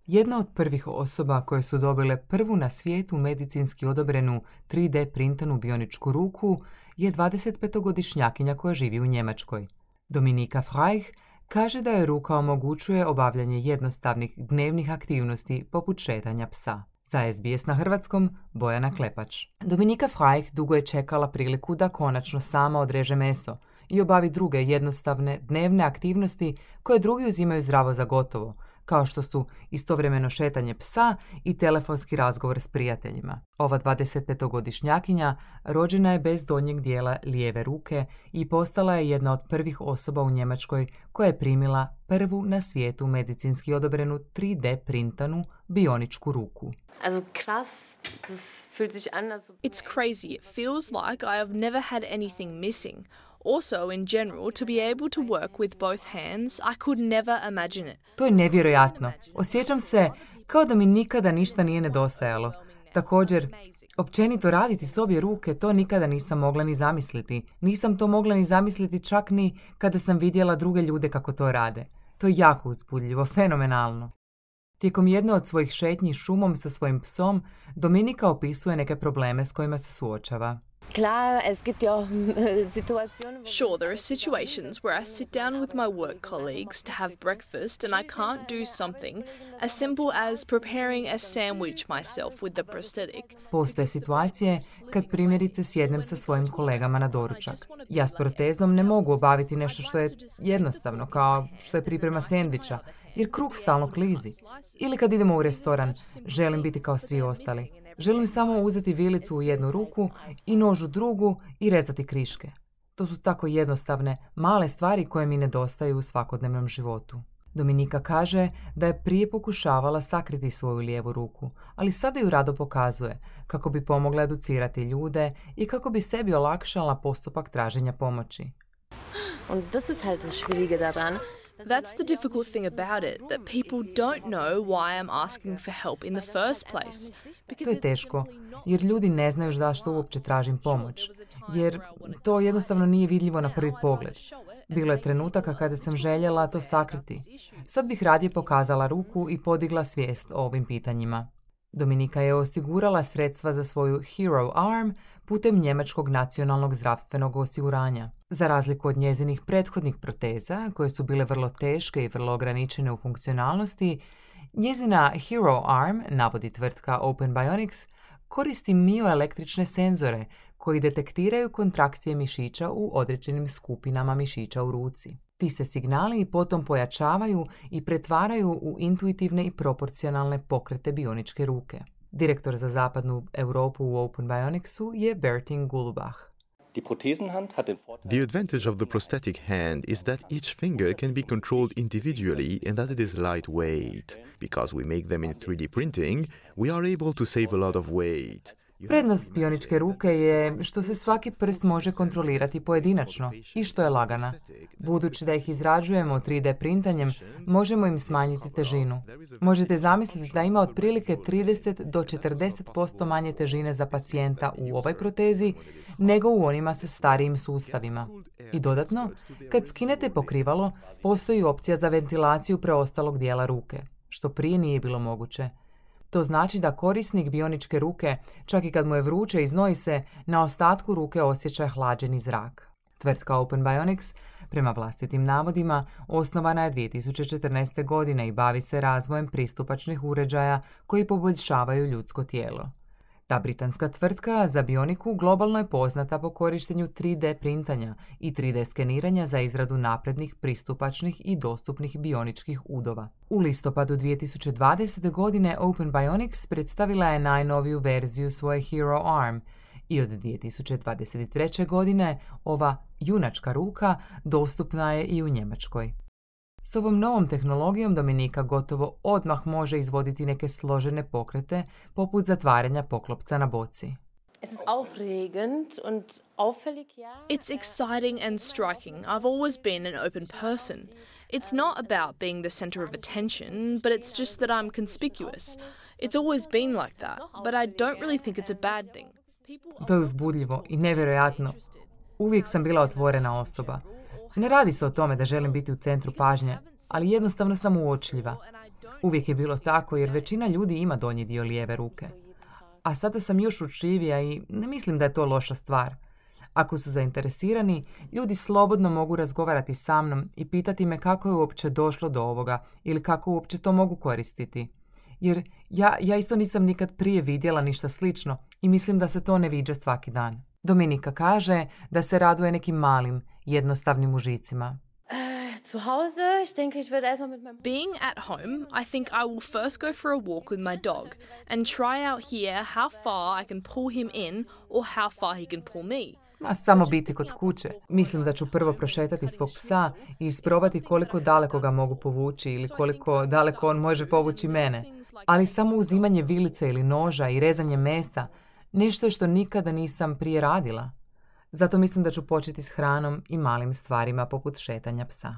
Jedna od prvih osoba koje su dobile prvu na svijetu medicinski odobrenu 3D printanu bioničku ruku je 25-godišnjakinja koja živi u Njemačkoj. Dominika Freich kaže da joj ruka omogućuje obavljanje jednostavnih dnevnih aktivnosti poput šetanja psa. Za SBS na hrvatskom, Bojana Klepač. Dominika Freich dugo je čekala priliku da konačno sama odreže meso i obavi druge jednostavne dnevne aktivnosti koje drugi uzimaju zdravo za gotovo, kao što su istovremeno šetanje psa i telefonski razgovor s prijateljima. Ova 25-godišnjakinja rođena je bez donjeg dijela lijeve ruke i postala je jedna od prvih osoba u Njemačkoj koja je primila prvu na svijetu medicinski odobrenu 3D printanu bioničku ruku. It's crazy. It feels like I have never had anything missing. Also, in general, to be able to work with both hands, I could never imagine it. To je nevjerojatno. Osjećam se kao da mi nikada ništa nije nedostajalo. Također, općenito raditi s obje ruke, to nikada nisam mogla ni zamisliti. Nisam to mogla ni zamisliti čak ni kada sam vidjela druge ljude kako to rade. To je jako uzbudljivo, fenomenalno. Tijekom jedne od svojih šetnji šumom sa svojim psom, Dominika opisuje neke probleme s kojima se suočava. Sure, there are situations where I sit down with my work colleagues to have breakfast and I can't do something as simple as preparing a sandwich myself with the prosthetic. Postoje situacije kad primjerice sjednem sa svojim kolegama na doručak. Ja s protezom ne mogu obaviti nešto što je jednostavno, kao što je priprema sendviča, jer kruh stalno klizi. Ili kad idemo u restoran, želim biti kao svi ostali. Želim samo uzeti vilicu u jednu ruku i nož u drugu i rezati kriške. To su tako jednostavne, male stvari koje mi nedostaju u svakodnevnom životu. Dominika kaže da je prije pokušavala sakriti svoju lijevu ruku, ali sada ju rado pokazuje kako bi pomogla educirati ljude i kako bi sebi olakšala postupak traženja pomoći. That's the difficult thing about it, that people don't know why I'm asking for help in the first place. To je teško, jer ljudi ne znaju zašto uopće tražim pomoć, jer to jednostavno nije vidljivo na prvi pogled. Bilo je trenutaka kada sam željela to sakriti. Sad bih radije pokazala ruku i podigla svijest o ovim pitanjima. Dominika je osigurala sredstva za svoju Hero Arm putem Njemačkog nacionalnog zdravstvenog osiguranja. Za razliku od njezinih prethodnih proteza, koje su bile vrlo teške i vrlo ograničene u funkcionalnosti, njezina Hero Arm, navodi tvrtka Open Bionics, koristi mioelektrične senzore koji detektiraju kontrakcije mišića u određenim skupinama mišića u ruci. Ti se signali potom pojačavaju i pretvaraju u intuitivne i proporcionalne pokrete bioničke ruke. Direktor za zapadnu Europu u Open Bionicsu je Bertin Gulbach. The advantage of the prosthetic hand is that each finger can be controlled individually and that it is lightweight. Because we make them in 3D printing, we are able to save a lot of weight. Prednost bioničke ruke je što se svaki prst može kontrolirati pojedinačno i što je lagana. Budući da ih izrađujemo 3D printanjem, možemo im smanjiti težinu. Možete zamisliti da ima otprilike 30 do 40% manje težine za pacijenta u ovoj protezi nego u onima sa starijim sustavima. I dodatno, kad skinete pokrivalo, postoji opcija za ventilaciju preostalog dijela ruke, što prije nije bilo moguće. To znači da korisnik bioničke ruke, čak i kad mu je vruće i znoji se, na ostatku ruke osjeća hlađeni zrak. Tvrtka Open Bionics, prema vlastitim navodima, osnovana je 2014. godine i bavi se razvojem pristupačnih uređaja koji poboljšavaju ljudsko tijelo. Ta britanska tvrtka za bioniku globalno je poznata po korištenju 3D printanja i 3D skeniranja za izradu naprednih, pristupačnih i dostupnih bioničkih udova. U listopadu 2020. godine Open Bionics predstavila je najnoviju verziju svoje Hero Arm i od 2023. godine ova junačka ruka dostupna je i u Njemačkoj. S ovom novom tehnologijom Dominika gotovo odmah može izvoditi neke složene pokrete, poput zatvaranja poklopca na boci. It's exciting and striking. I've always been an open person. It's not about being the center of attention, but it's just that I'm conspicuous. It's always been like that, but I don't really think it's a bad thing. To je uzbudljivo i nevjerojatno. Uvijek sam bila otvorena osoba. Ne radi se o tome da želim biti u centru pažnje, ali jednostavno sam uočljiva. Uvijek je bilo tako jer većina ljudi ima donji dio lijeve ruke. A sada sam još učljivija i ne mislim da je to loša stvar. Ako su zainteresirani, ljudi slobodno mogu razgovarati sa mnom i pitati me kako je uopće došlo do ovoga ili kako uopće to mogu koristiti. Jer ja isto nisam nikad prije vidjela ništa slično i mislim da se to ne viđa svaki dan. Dominika kaže da se raduje nekim malim, jednostavnim užicima. Being at home, I think I will first go for a walk with my dog and try out here how far I can pull him in or how far he can pull me. Samo biti kod kuće. Mislim da ću prvo prošetati svog psa i isprobati koliko daleko ga mogu povući ili koliko daleko on može povući mene. Ali samo uzimanje vilice ili noža i rezanje mesa, nešto je što nikada nisam prije radila. Zato mislim da ću početi s hranom i malim stvarima poput šetanja psa.